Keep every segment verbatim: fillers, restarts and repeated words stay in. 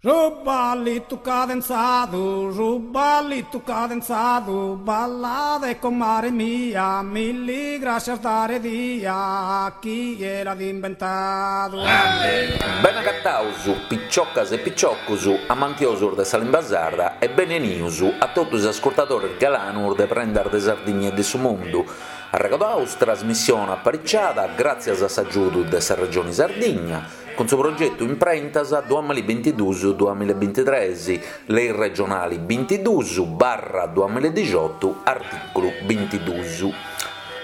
Su ballitu cadenzadu, su ballitu cadenzadu, ballade comare mia, milli grascias dare dia, chie l'at imbentadu. Bene agataus, piciocas e piciocus, amantiosus de sa limba sarda e bene 'enius a totu is ascurtadores galanus de Prendas de Sardigna e de su Mundu. Arregodaus trasmissione apariciada gràtzias a s'agiudu de sa Regioni Sardigna cun su progetu Imprentas duamilla e bintiduus duamilla e bintitres, lei regionali bintiduus barra duamilla e dixiotu artìculu bintiduus.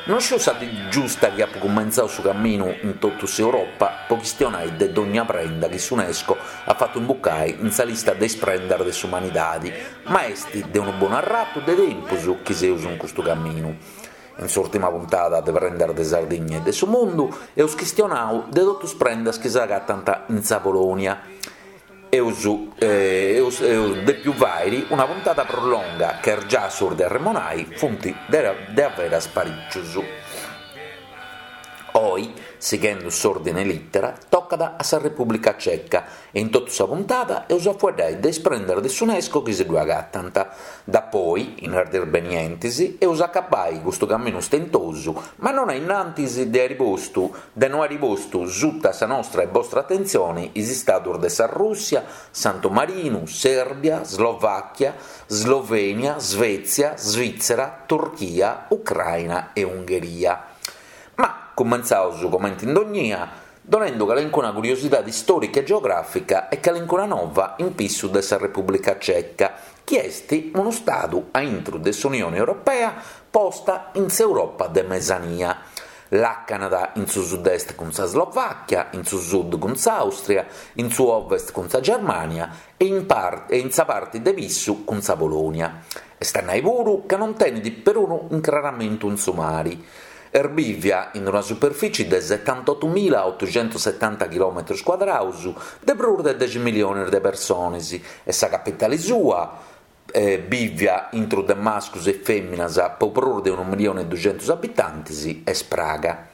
Non sciu sa dì giusta chi apu cumentzau su caminu in totu s'Europa po chistionai de dogna prenda chi s'Unesco at fatu imbucai in sa lista de is prendas de s'umanidadi, ma est de unu bonu arratu de tempus chi seus in custu caminu. In s'ùrtima puntada de Prendas de Sardigna e de su Mundu eus chistionau de totu is prendas chi s'agatant in sa Polònia. Eus eus eus dèpiu fàiri una puntada prus longa ca is giassus de arremonai funt de averas parìcius. Oi, sighendu s'òrdine lìtera, tocat a sa Repùblica Ceca e in totu sa puntada eus a fueddai de is prendas de s'Unesco chi si ddue agatant. Dapoi, in is dies benientes, eus a acabbai custu caminu stentosu, ma non a innantis de àiri postu de no àiri postu suta sa nostra e bostra atentzione is istados de sa Rùssia, Santu Marinu, Sèrbia, Slovàchia, Slovènia, Svètzia, Svìtzera, Turchia, Ucraina e Ungheria. Ma cumentzaus comente in dognia, donendu calencuna curiosidade istòrica e geogràfica e calencuna nova in pissu de sa Repùblica Ceca, chi est unu stadu a intru de s'Unione Europea posta in s'Europa de Mesania. Làcanat in su sud-est cun sa Slovàchia, in su sud cun s'Àustria, in su ovest cun sa Germània e in e in sa parti de pissu cun sa Polònia. Est a nai puru ca non tenit perunu incraramentu in su mari. Est bìvia in una superficie de setantotumila otuxentosetanta chilòmetros cuadraus de prus de dexi miliones de persones e sa capitale sua, bìvia intru de mascus e fèminas po prus de unu milione e duxentus abitantes, est Praga.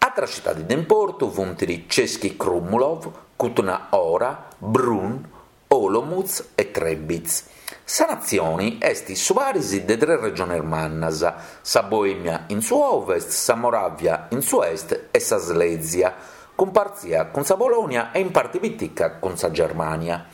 Àteras citades de importu funt Český Krumlov, Kutná Hora, Brünn, Olomouc e Třebíč. Sa natzione est su paris de tres regiones mannas, sa Boèmia in su ovest, sa Moràvia in su est e sa Slèsia, cumpartzia cun sa Polònia e in parte pitica cun sa Germània.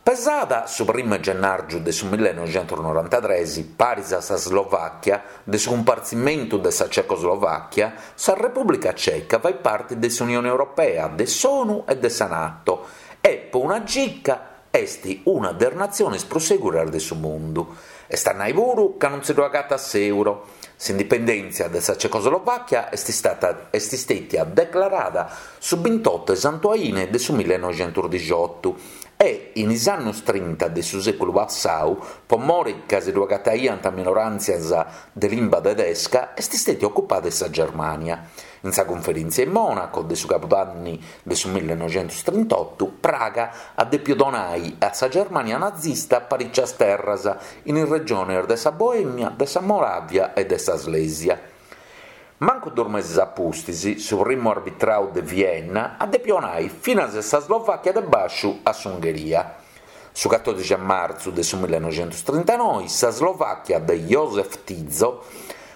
Pesada su primu 'e gennàrgiu de su millenoixentos-norantatres, paris a sa Slovàchia, de su cumpartzimentu de sa Cecoslovàchia, sa Repùblica Ceca fait parte de s'Unione Europea, de s'ONU e de sa NATO e, po una gica, est una de is natziones prus seguras de su mundu. Est a nai puru ca non si ddu agatat s'euro. S'indipendèntzia de sa Cecoslovàchia est istata est istètia declarada su bintotto 'e Santu Aine de su millenoixentos-dixiotu e, in is annos trinta de su sèculu passau, po more ca si ddu agataiant minoràntzias de limba tedesca, est istètia ocupada de sa Germània. In sa cunferèntzia in Mònaco de su cabudanni de su millenoixentos-trintotu, Praga at dèpiu donai a sa Germània nazista parìcias terras in is regiones de sa Boèmia, de sa Moràvia e de sa Slèsia. Mancu duos meses a pustis, su primu arbitrau de Vienna at dèpiu 'onai finas sa Slovàchia de bàsciu a s'Ungheria. Su catòdixi 'e martzu de su millenoixentos-trintanoi, sa Slovàchia de Josef Tiso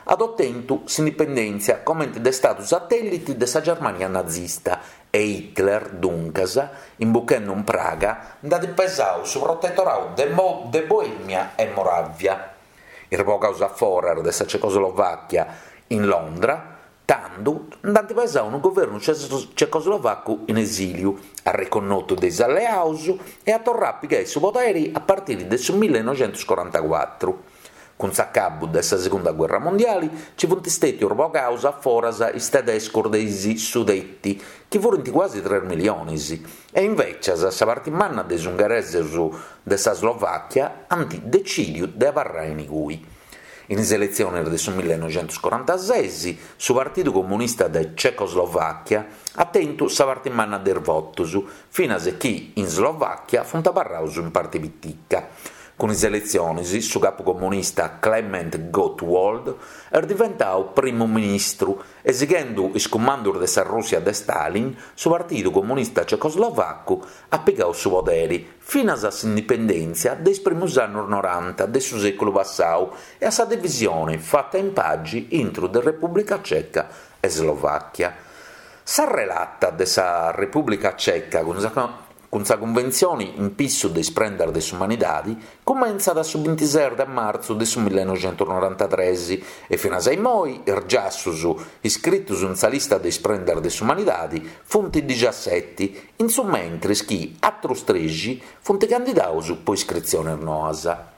at otentu s'indipendèntzia comente de stadu satèllite de sa Germània nazista e Hitler, duncas, imbuchende in Praga, nd'at pesadu su protetoradu de de Boèmia e Moràvia. Is bogados a foras de sa Cecoslovàchia in Londra, tando, nd'ant pesadu unu governu cecoslovacu in esìliu, arreconnotu de is alleados, e at torradu a pigai su podere a partire de su millenoixentos-corantacuatru. Cun s'acabu de sa Segunda Guerra Mondiale ci funt istètios bogados a foras is tedescos de is Sudeti, chi furint cuasi tres miliones, e invècias sa parti manna de is ungheresos de sa Slovàchia ant decìdiu de abarrai in cui. In is eletziones de su millenoixentos-corantases su Partidu Comunista de Cecoslovàchia at tentu sa parti manna de is votos, finas chi in Slovàchia funt abarrados in parti pitica. Cun is eletzionis su capu comunista Klement Gottwald est diventau primu ministru e sighendu is cumandus de sa Rùssia de Stalin su Partidu Comunista Cecoslovacu at pigau su poderi finas a s'indipendèntzia de is primus annus noranta de su sèculu passau e a sa divisione fata in pagi intru de Repùblica Ceca e Slovàchia. Sa relata de sa Repùblica Ceca cun sa Cun sa Cunventzioni in pissu de is prendas de s'umanidadi cumentzat su bintises de martzu de su millenoixentusnorantatres e finas a immoi is giassus iscritus in sa lista de is prendas de s'umanidadi funt dixiaseti, in su mentris chi atrus trexi funt candidaus po iscritzionis noas.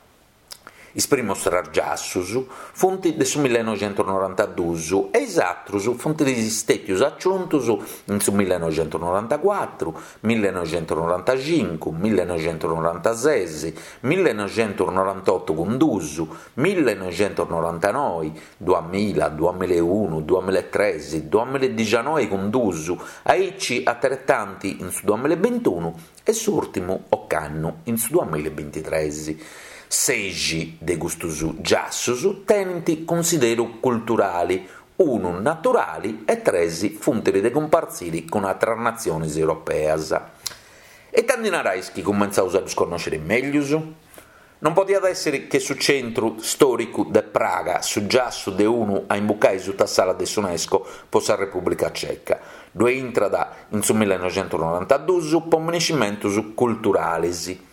Is primus tres giassus funt de su millenoixentusnorantaduus e is atrus funt stètius aciuntus in su millenoixentusnorantacuatru, millenoixentusnorantacincu, millenoixentusnorantases, millenoixentusnorantotu cun duus, millenoixentusnorantanoi, duamilla, duamilla e unu, duamilla e tres, duamilla e dixianoi cun duus, aici ateretanti in su duamilla e bintunu e s'ùrtimu ocannu in su duamilla e bintitres. Sexi de custus giassus tenint cunsideru culturali, unu naturali e tres funt de cumpartziri cun atras natzionis europeas. E ita ndi narais chi cumentzaus a ddus connòsciri mèglius? Non podiat èssiri che su centru stòricu de Praga, su giassu de unu a imbucai suta s'ala de s'Unesco po sa Repùblica Ceca. Ddue intrat in su millenoixentusnorantaduus po minescimentus culturalis.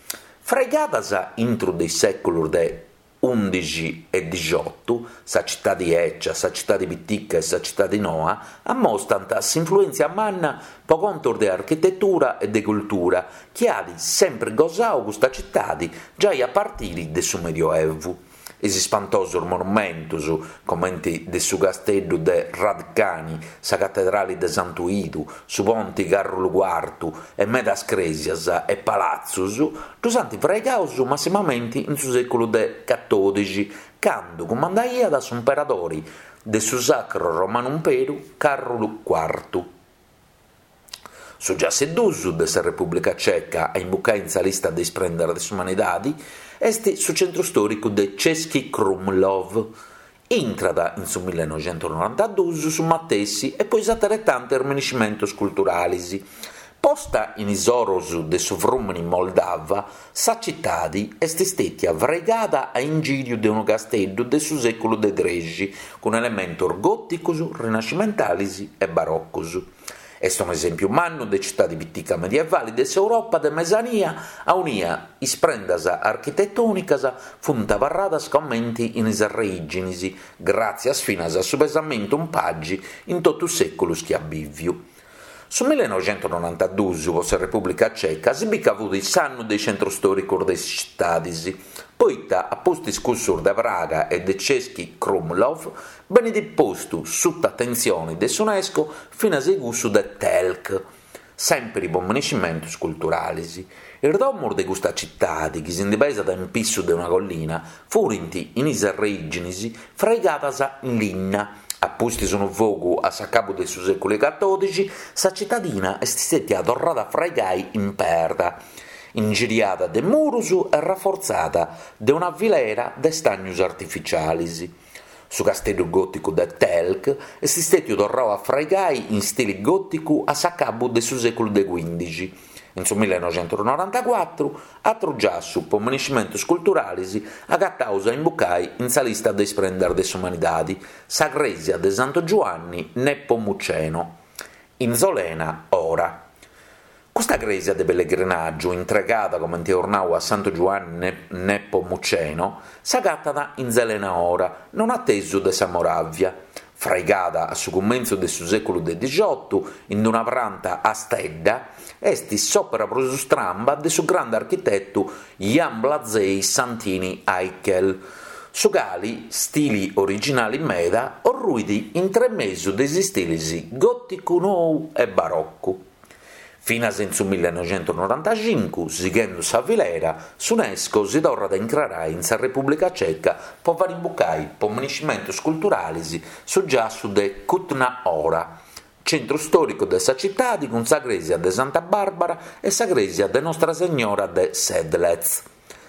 Fraigadas intru de is sèculus de ùndixi e dixiotu, sa citadi 'ècia, sa citadi pitica e sa citadi noa ammostant s'influèntzia manna po contos de architetura e de cultura chi at sempri gosau custa citadi giai a partiri de su Medioevu. Is ispantosus monumentus, comenti de su casteddu de Hradčany, sa catedrali de Santu 'Idu, su ponti Càrulu Cuartu e medas crèsias e palatzus, ddus ant fraigaus massimamenti in su sèculu de catòdixi, candu cumandaiat s'imperadori de su Sacru Romanu Imperu Càrulu Cuartu. Su giassu duus de sa Repùblica Ceca a imbucai in sa lista de is prendas de s'umanidadi est su centru stòricu de Český Krumlov. Intrat in su millenoixentusnorantaduus su matessi e po is ateretantis minescimentus culturalis. Posta in is oros de su frùmini Moldava, sa citadi est stètia fraigada a ingìriu de unu casteddu de su sèculu de trexi, cun elementos gòticos, rinascimentalis e barocos. Est un'esèmpiu mannu de citadi pitica medievali de s'Europa de Mesania aunia is prendas architetònicas funt abarradas comenti in is arreìginis, gràtzias finas a su pesamentu in pagi in totu is sèculus chi at bìviu. Su millenoixentusnorantaduus po sa Repùblica Ceca si bit ca fut s'annu de is centrus stòricus de is citadis, poita a pustis cussus de Praga e de Český Krumlov benit postu suta atentzione de s'Unesco finas e cussu de Telč, sèmpiri po minescimentus culturalis. Is domus de custa citadi, chi si ndi pesat in pissu de una collina, furint in is arreìginis fraigadas in linna. A pustis unu fogu a s'acabu de su sèculu catòdixi, sa citadina est stètia torrada a fraigai in perda, ingiriada de murus e rafortzada de una filera de stànius artificialis. Su casteddu gòticu de Telč est stètiu torrau a fraigai in stili gòticu a s'acabu de su sèculu de cuìndixi. In su millenoixentusnorantacuatru, atru giassu po minescimentus culturalis agataus a imbucai in sa lista de is prendas de s'umanidadi, sa crèsia de Santu Giuanni Nepomuceno, in Zelená Hora. Custa crèsia de pellegrinàgiu, intregada comente eus nau a Santu Giuanni Nepomuceno, s'agatat in Zelená Hora, non atesu de sa Moràvia. Fraigada a su cumentzu de su sèculu de dixiotu in una pranta a stedda, est s'òpera prus stramba de su grande architetu Jan Blažej Santini Aichel, su cali, stili originali meda, orruit intremesu de is stilis gòticu nou e barocu. Finas in su millenoixentusnorantacincu, sighendu sa filera, s'Unesco si torrat a incrarai in sa Repùblica Ceca po fari imbucai po minescimentus culturalis su giassu de Kutná Hora, centru stòricu de sa citadi cun sa crèsia de Santa Barbara e sa crèsia de Nostra Segnora de Sedlec.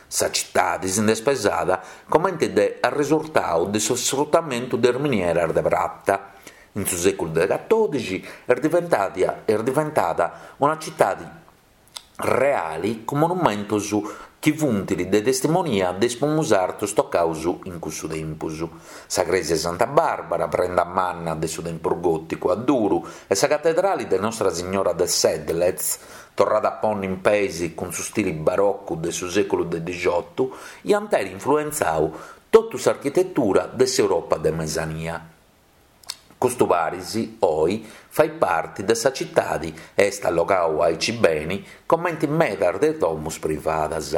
Sa citadi si nd'est pesada comente de arresurtau de su sfrutamentu de is minieras de prata. In su sèculu de catòdixi est diventada est diventada una citadi reali cun monumentos chi funt de testimonia de is primus sartus tocaus in cussu tempus. Sa crèsia Santa Barbara, prenda manna de su tempus gòticu a duru, e sa catedrali de Nostra Signora de Sedlec, torrada a ponni in peis cun su stili barocu de su sèculu de dixiotu, iant àere influentzau totu s'architetura de s'Europa de Mesania. Custu paris, oi, fait parti de sa citadi e est allogau aici beni comente medas de is domus privadas.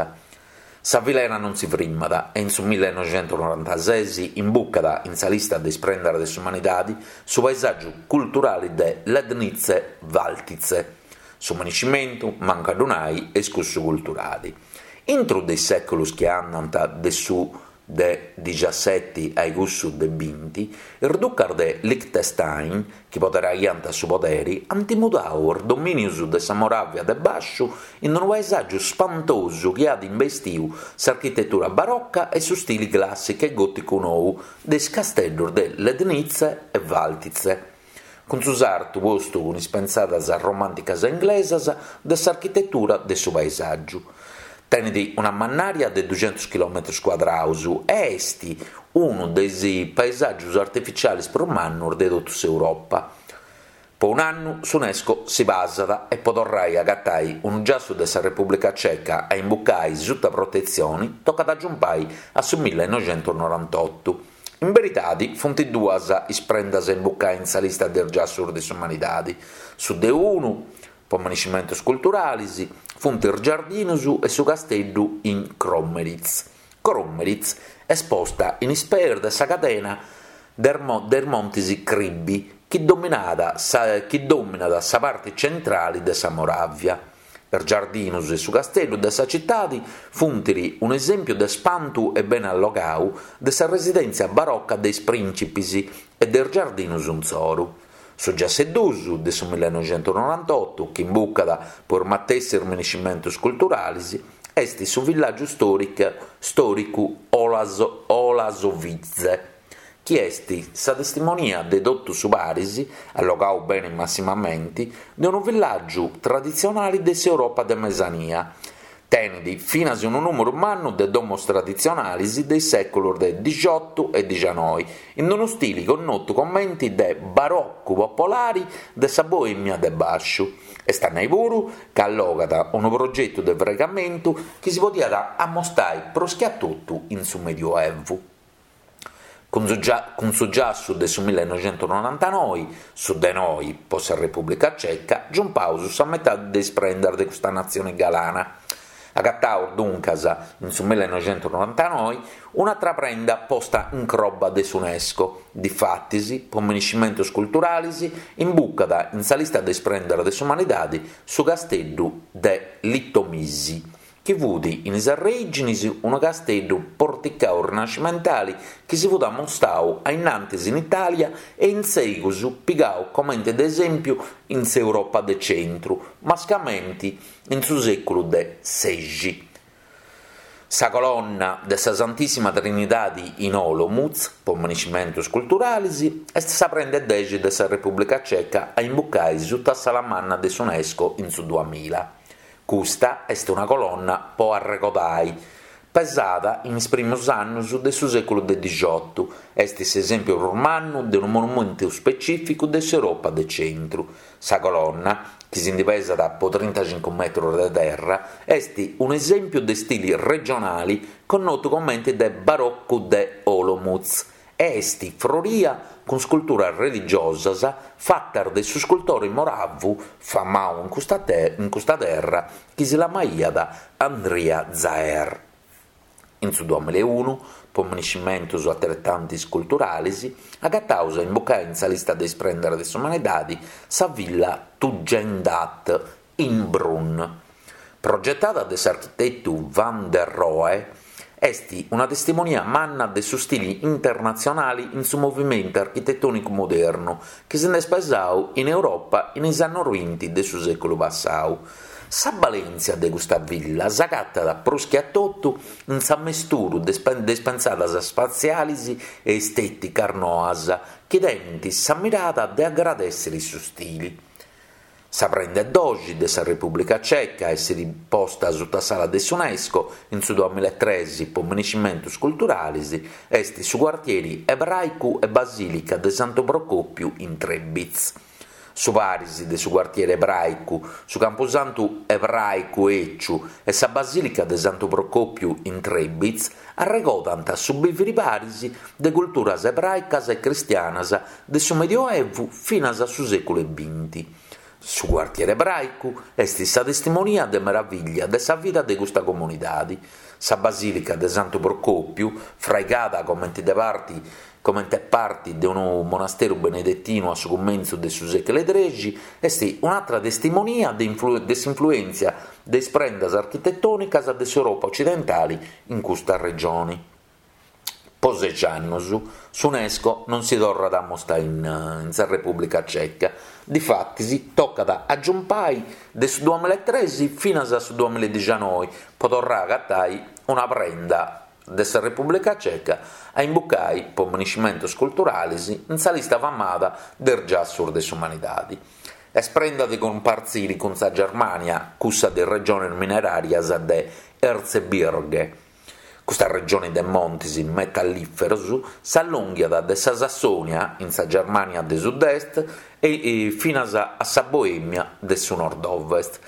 Sa filera non si frimmat e in su millenoixentusnorantases imbucat in sa lista de is prendas de s'umanidadi su paesàgiu culturali de Lednice-Valtice. Su maniscimentu, mancu a ddu nai, est cussu culturali. Intru de is sèculos chi andant de su de dixaseti a cussu de binti, is ducas de Liechtenstein, chi poderaiant su poderi, ant mudau is domìnios de sa Moràvia de Bàsciu in unu paesàgiu spantosu chi at imbestiu s'architetura baroca e su stili clàssicu e gòticu nou de is casteddos de Lednice e Valtice. Cun su sartu postu cun is pensadas romànticas e inglesas de s'architetura de su paesàgiu. Tenet una mannària de duxentus chilòmetros cuadraus e est unu de is paesàgios artificiales prus mannos de totu s'Europa. Po un'annu s'UNESCO si pasat e po torrai a agatai unu giassu de sa Repùblica Ceca a imbucai suta protetzione tocat a giumpai a su millenoixentusnorantotu. In beridadi funt duas is prendas a imbucai in sa lista de is giassus de s'umanidadi. Su de unu, po maniscimentos culturales, funt is giardinos e su casteddu in Kromeriz. Kromeriz est posta in is pees de sa cadena de is Montes Kribi, chi dominat sa, chi dominat sa parte centrale de sa Moràvia. Is giardinos e su casteddu de sa citadi funt un'esèmpiu de spantu e bene allogau de sa residèntzia baroca de is prìncipes e de is giardinos insoru. Su giassu 'e dus de su millenoixentusnorantotu, chi imbucat po is matessis maniscimentos culturales, est su villàgiu stòricu Holašovice, chi est sa testimonia de totu su paris, allogau bene massimamente, de unu villàgiu traditzionale de s'Europa de Mesania. Tenet finas unu nùmeru mannu de domos traditzionales de is sèculos de dixiotu e dixanoi, in unu stile connotu comente de baroccu popolare de sa Boèmia de Bàsciu. Est a nai puru ca allogat unu progetu de fraigamentu chi si podiat ammostare prus che a totu in su Medioevu. Cun su, gia, cun su giassu de su millenoixentusnorantanoe, su de noi po sa Repùblica Ceca, giumpaus sa metade de is prendas de custa natzione galana. Agataus duncas in su millenoixentusnorantanoe un'atra prenda posta in croba de s'UNESCO. Difatis, po maniscimentos culturales, imbucat in sa lista de is prendas de s'umanidade su casteddu de Litomisi, chi fut in is arrèginis unu casteddu porticau rinascimentale chi si fut ammostau a innantis in Itàlia e in segus pigau comente de esèmpiu in s'Europa de centru, mascamente in su sèculu de sexi. Sa colonna de sa Santissima Trinidade in Olomouc, po maniscimentos culturales, est sa prenda dexi de sa Repùblica Ceca a imbucai suta s'ala manna de s'UNESCO in su duamilla. Custa est una colonna po arregodai, pesada in is primos annos de su sèculu de dixiotu, est s'esèmpiu prus mannu de unu monumentu specificu de s'Europa de centru. Sa colonna, chi si ndi pesat po trintacincu metros de terra, est un'esèmpiu de stile regionale connotu comente de baroccu de Olomouc e est froria cun sculturas religiosas fatas de su scultore moravu famau in custa, te in custa terra chi si lamaiat Andria Zaer. In su duamilla e unu, po maniscimentos ateretantes culturales, agataus a imbucai in sa lista de is prendas de s'umanidade sa villa Tugendhat in Brunn. Progetada de s'architetu van der Rohe, est una testimonia manna de su stile internatzionale in su movimentu architetònicu modernu chi si nd'est pesau in Europa in is annos binti de su sèculu passau. Sa balèntzia de custa villa s'agatat prus che a totu in s'ammesturu de is pensadas spatziales e estèticas noas chi tenent sa mirada de agradèssere su stile. Sa prenda 'e doxi de sa Repùblica Ceca, essida posta suta s'ala de s'UNESCO in su duamilla e tres pro minescimentos culturales, est su cuartieri ebràicu e basìlica de Santu Procòpiu in Trebitz. Su paris de su cuartieri ebràicu, su campusantu ebràicu 'eciu e sa basìlica de Santu Procòpiu in Trebitz arregodant su bìvere paris de culturas ebràicas e cristianas de su Medioevu finas a su sèculu 'e binti. Su cuartieri ebràicu est sa testimonia de meravìllia de sa vida de custa comunidade. Sa basìlica de Santu Procòpiu, fraigada comente de parte comente parte de unu monasteru benedetinu a su cumentzu de su sèculu trexi, est un'àtera testimonia de de s'influèntzia de is prendas architetònicas de s'Europa ocidentale in custa regione. Po sexi annos s'UNESCO non si torrat a amostare in, in sa Repùblica Ceca. Difatis tocat a giumpai de su duamilla e tres finas a su duamilla e dicianoi po torrare a agatare una prenda de sa Repùblica Ceca a imbucai po minescimentos culturales in sa lista famada de is giassos de s'umanidade. Est prenda de cumpartzire cun sa Germània, cussa de regiones mineràrias de Erzgebirge. Custa regione de montes metallìferos s'allònghiat de sa Sassònia, in sa Germània de sud-est, e finas a sa Boèmia de su nord-ovest.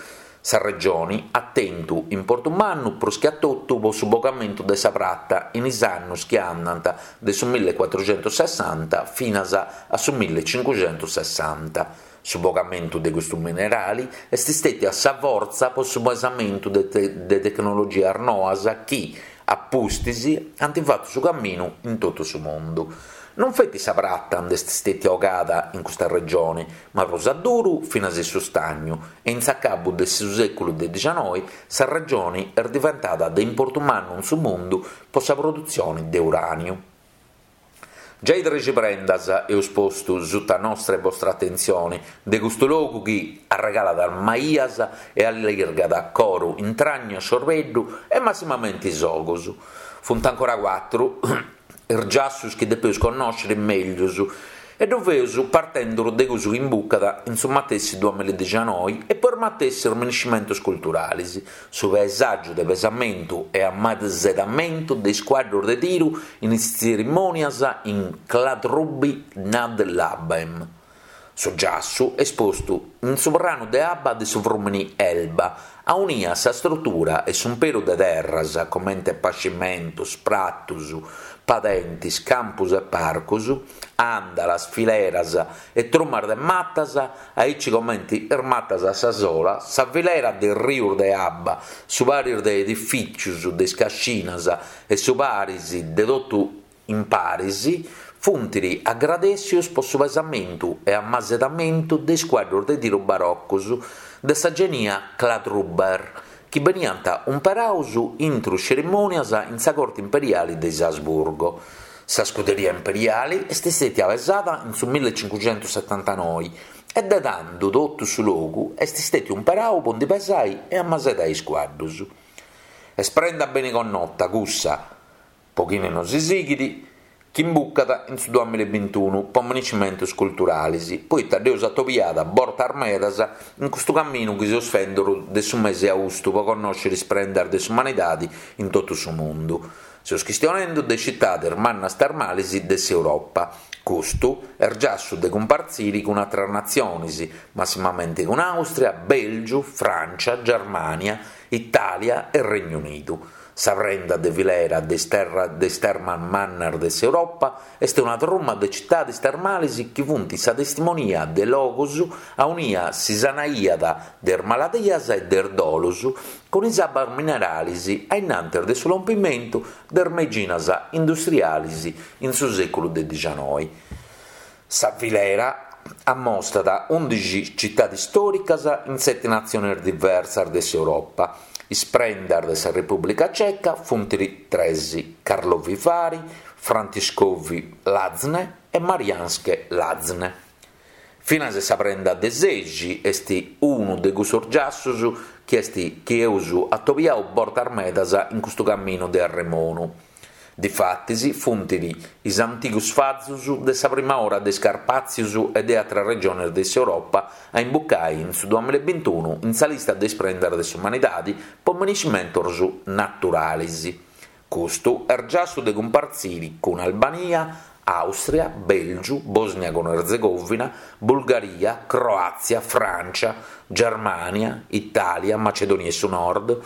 Sa regione at tentu importu mannu prus che a totu pro su bogamentu de sa prata in is annos chi andant de su millecuatrocentosessanta finas a su millecincucentosessanta. Su bogamentu de custu minerale est istètia sa fortza pro su pesamentu de, te de tecnologias noas chi, a pustis, ant fatu su caminu in totu su mundu. Non feti sa prata nd'est istètia 'ogada in custa regione, ma prus a duru finas su stagnu, e in s'acabu de su sèculu de dicianoi sa regione est diventada de importu mannu in su mundu pro sa produtzione de uràniu. Giai trexi prendas eus postu suta nostra e vostra atentzione de custu logu chi arregalat maias e allirgat coro, intragna, sciorbeddu e massimamente is ogos. Funt ancora cuatru is giassos chi depeus connòschere mègius e ddu feus partendo de cussu chi imbucat in su matessi duamilla e dicianoi e po is matessi minescimentos culturales, su paesàgiu de pesamentu e ammasedamentu de is cuadros de tiru in is tzerimònias in Kladruby nad Labem. Su giassu est postu in su pranu de abba de su frùmene Elba, aunia sa struttura e s'umperu de terras, comente pascimentos, pratos, padentes, campos e parcos, àndalas, fileras e trumas de matas, aici comente is matas a sa sola, sa filera de rios de abba, su paris de edifìtzios, de is cascinas e su paris de totu in paris, funt agradèssios pro su pesamentu e ammasedamentu de is cuadros de tiru barocos de sa genia Kladruber, chi beniant umperados intro tzerimònias in sa corte imperiale de is Asburgo. Sa scuderia imperiale est istètia pesada in su millecincucentosettantanoi e de tando totu su logu est istètiu umperadu pro ndi pesai e ammasedai is cuadros. Est prenda bene connota cussa, po chine non si sighit, chi imbucat in su duamilla e bintunu po minescimentos culturales, poita dd'eus atobiada bortas medas in custu caminu chi seus fenduru de su mese austu po connòschere is prendas de s'umanidade in totu su mundu. Seus chistionendu de citades mannas termales de s'Europa. Custu est giassu de cumpartzire cun àteras natziones, massimamente cun Àustria, Bèlgiu, Frància, Germània, Itàlia e Regnu Unidu. Sa prenda de filera de is terra de is termas mannas de s'Europa est una truma de citades termales chi funt sa testimonia de logos aunia si sanaiat de is maladias e de is dolos cun is abbas minerales a innantis de su lompimentu de is meiginas industriales in su sèculu de dicianoi. Sa filera ammostat undixi citades istòricas in sete natziones diversas de s'Europa. Is prendas de sa Repùblica Ceca funt tres: Karlovy Vary, Františkovy Lázně e Mariánské Lázně. Finas sa prenda de sexi est unu de cussos giassos chi est chi eus atobiau bortas medas in custu caminu de arremonu. Difatis funt is antigus fazus de sa prima ora de is Carpàtzius e de àteras regiones de s'Europa a imbucai in su duamilla e bintunu in sa lista de is prendas de s'umanidadi po miniscimentos naturalis. Custu est giassu de cumpartziri cun Albania, Àustria, Bèlgiu, Bòsnia cun Erzegovina, Bulgaria, Croàtzia, Frància, Germània, Itàlia, Macedònia 'e su Nord,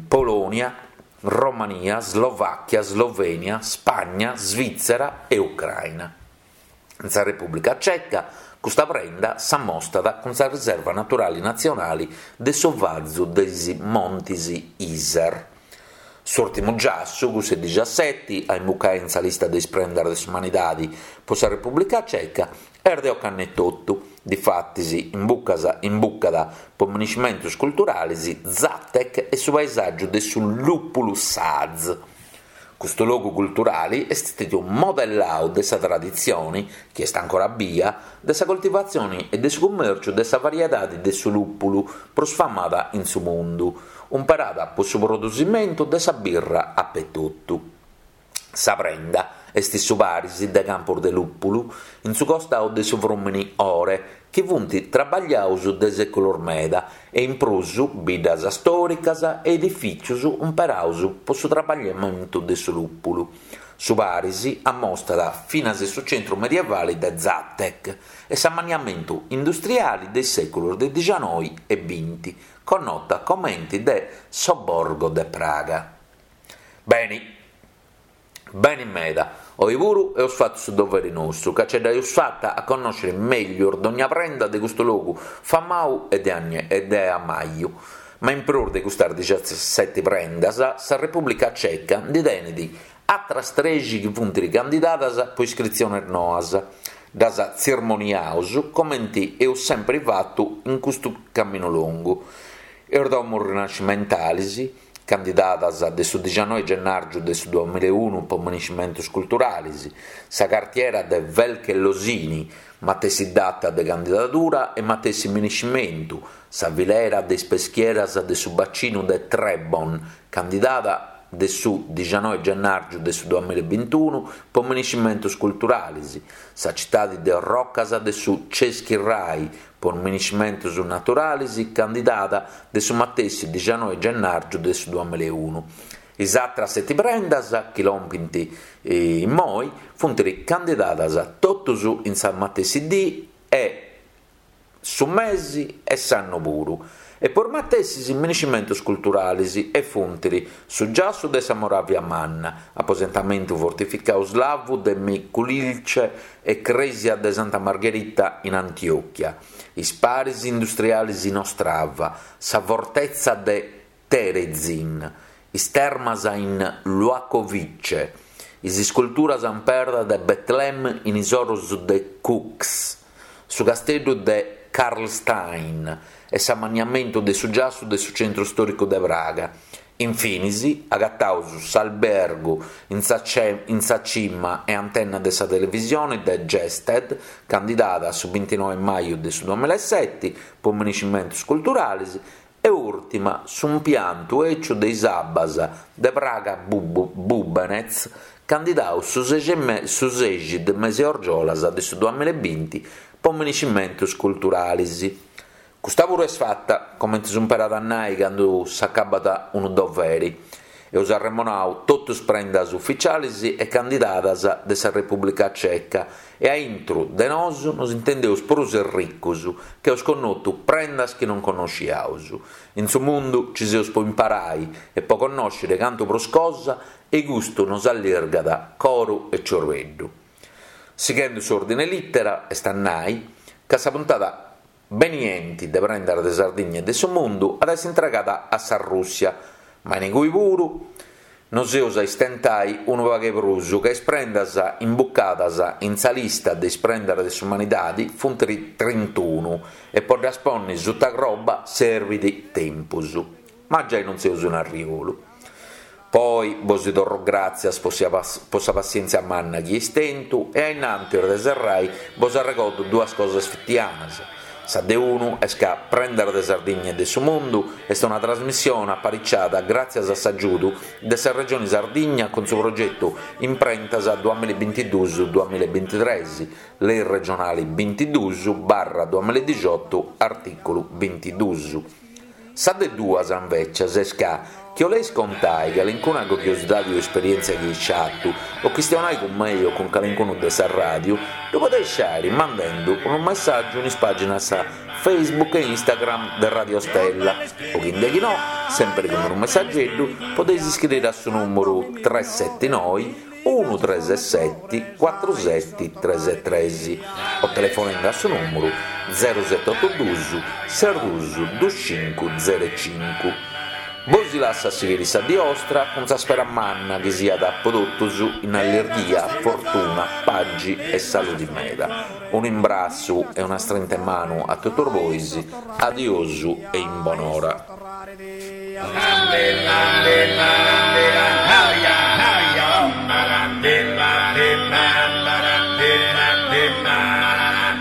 Polònia, Romania, Slovàchia, Slovènia, Spagna, Svìtzera e Ucraina. In sa Repùblica Ceca custa prenda s'ammostat cun sa Riserva Naturali Natzionali de su Vazu de is Montis Iser. S'ùrtimu giassu, cussu 'e dixaseti, a imbucai in sa lista de is prendas de s'umanidadi po sa Repùblica Ceca, est de ocannu etotu. Difatis imbucas imbucat po miniscimentos culturalis Zatec e su paesàgiu de su lùpulu Saaz. Custu logu culturali est stètiu modellau de sa traditzioni, chi est ancora bia, de sa coltivatzioni e de su cummèrciu de sa variedadi de su lùpulu prus famada in su mundu, umperada po su produsimentu de sa birra apetotu. Sa prenda est su paris de campos de lùpulu in su costau de su frùmini Ore, chi funt trabagliaus de sèculos meda, e in prus biddas stòricas e edifìtzios umperaus po su trabagliamentu de su lùpulu. Su paris ammostat finas su centru medievali de Zatec e s'ammanniamentu industriali de is sèculos de dixanoi e binti, connota comenti de Sobborgo de Praga. Beni. Beni meda, oi puru eus fatu su doveri nostru, ca ce dd'aeus fata a connòscere mèglius dogna prenda de custu logu famau e de ammaju. Ma in prus de custas dixaseti prendas, sa Repùblica Ceca ndi tenit atras trexi chi funt candidadas po iscritziones noas. Ddas tzirmoniaus comenti eus sempri fatu in custu caminu longu. Is domos rinascimentalis, candidadas de su dixanoi gennàrgiu de su duamilla e unu po miniscimentos culturalis, sa cartiera de Velké Losiny, matessi data de candidadura e matessi miniscimentu, sa filera de is peschieras de su bacinu de Trebon, candidada de su dixanoi gennàrgiu de su duamilla e bintunu po miniscimentos culturalis, sa citadi de orrocas de su Český Raj po miniscimentos naturalis, candidada de su matessi dixanoi gennàrgiu de su duamilla e unu. Is atras seti prendas, chi lompint immoi, funt candidadas totus in sa matessi dì e su mesi e s'annu puru, e po is matessis miniscimentos culturalis, e funt su giassu de sa Moravia Manna, aposentamentu fortificau slavu de Mikulilce e crèsia de Santa Margherita in Antiochia, is paris industrialis in Ostrava, sa fortetza de Terezin, is termas in Luhačovice, is isculturas in perda de Betlem in is oros de Kuks, su casteddu de Karlstein e s'ammanniamentu de su giassu de su centru stòricu de Praga. Infinis, agataus s'albergu in sa in sa cima e antenna de sa televisione de Gested, candidada a su bintinoe maju de su duamilla e seti po miniscimentos culturalis, e ùrtima s'impiantu eciu de is abbas de Praga Bubenec, candidau su su sexi de mesi 'e argiolas de su duamilla e binti po miniscimentos culturalis. Custa puru est fata, comente s'umperat a nai candu s'acabat unu doveri. Eus arremonau totus is prendas uficialis e candidadas de sa Repùblica Ceca e a intru de nosu nos intendeus prus erricus, ca eus connotu prendas chi non connosciaus. In su mundu ci seus po imparai e po connòscere cantu prus cosa e custu nos allirgat coru e ciorbeddu. Sighendu s'ordine lìtera, est a nai ca sa puntada benienti de Prendas de Sardigna e de su Mundu at a essi intregada a sa Rùssia, ma in cui puru nos eus a istentai unu pagu 'e prus, ca is prendas imbucadas in sa lista de is prendas de s'umanidadi funt trintunu e po ddas ponni suta croba serbit tempus. Ma giai non seus in arriolu. Poi bos torro gràtzias po po sa passièntzia manna chi eis tentu e a innantis de serrai bos arregordo duas cosas fitianas. Sa de unu est ca Prendas de Sardigna e de su Mundu est una trasmissione apariciada gràtzias a s'agiudu de sa Regione Sardigna cun su progetu Imprentas duamilla e bintiduus duamilla e bintitres, Lei regionale bintiduus barra duamilla e dixiotu artìculu bintiduus. Sa de duas, invècias, est ca chi 'oleis contai calincuna curiosidadi o esperièntzia chi eis fatu, o chistionai cun mei o cun calincunu de sa ràdiu, ddu podeis fàiri mandendu unu messàgiu in is pàginas Facebook e Instagram de Radio Stella, o chi indechinò, sèmpiri cun unu messageddu, podeis iscriri a su nùmeru tres seti noi unu tres seti cuatru seti tres tres o telefonende a su nùmeru zero seti otu duus ses duus duus cincu zero cincu. Bosi lassu a sighiri sa die 'ostra cun sa spera manna chi siat po totus in allirghia, fortuna, pagi e saludi meda. Unu imbrassu e una strinta 'e manu a totus bois, adiosu e in bonora.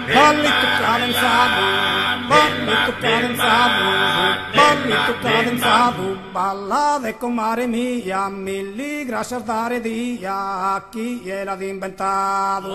Ballittu cadenzadu, ballittu cadenzadu, ballittu cadenzadu, ballade comare mia, milli grascias dare dia a chie l'at imbentadu.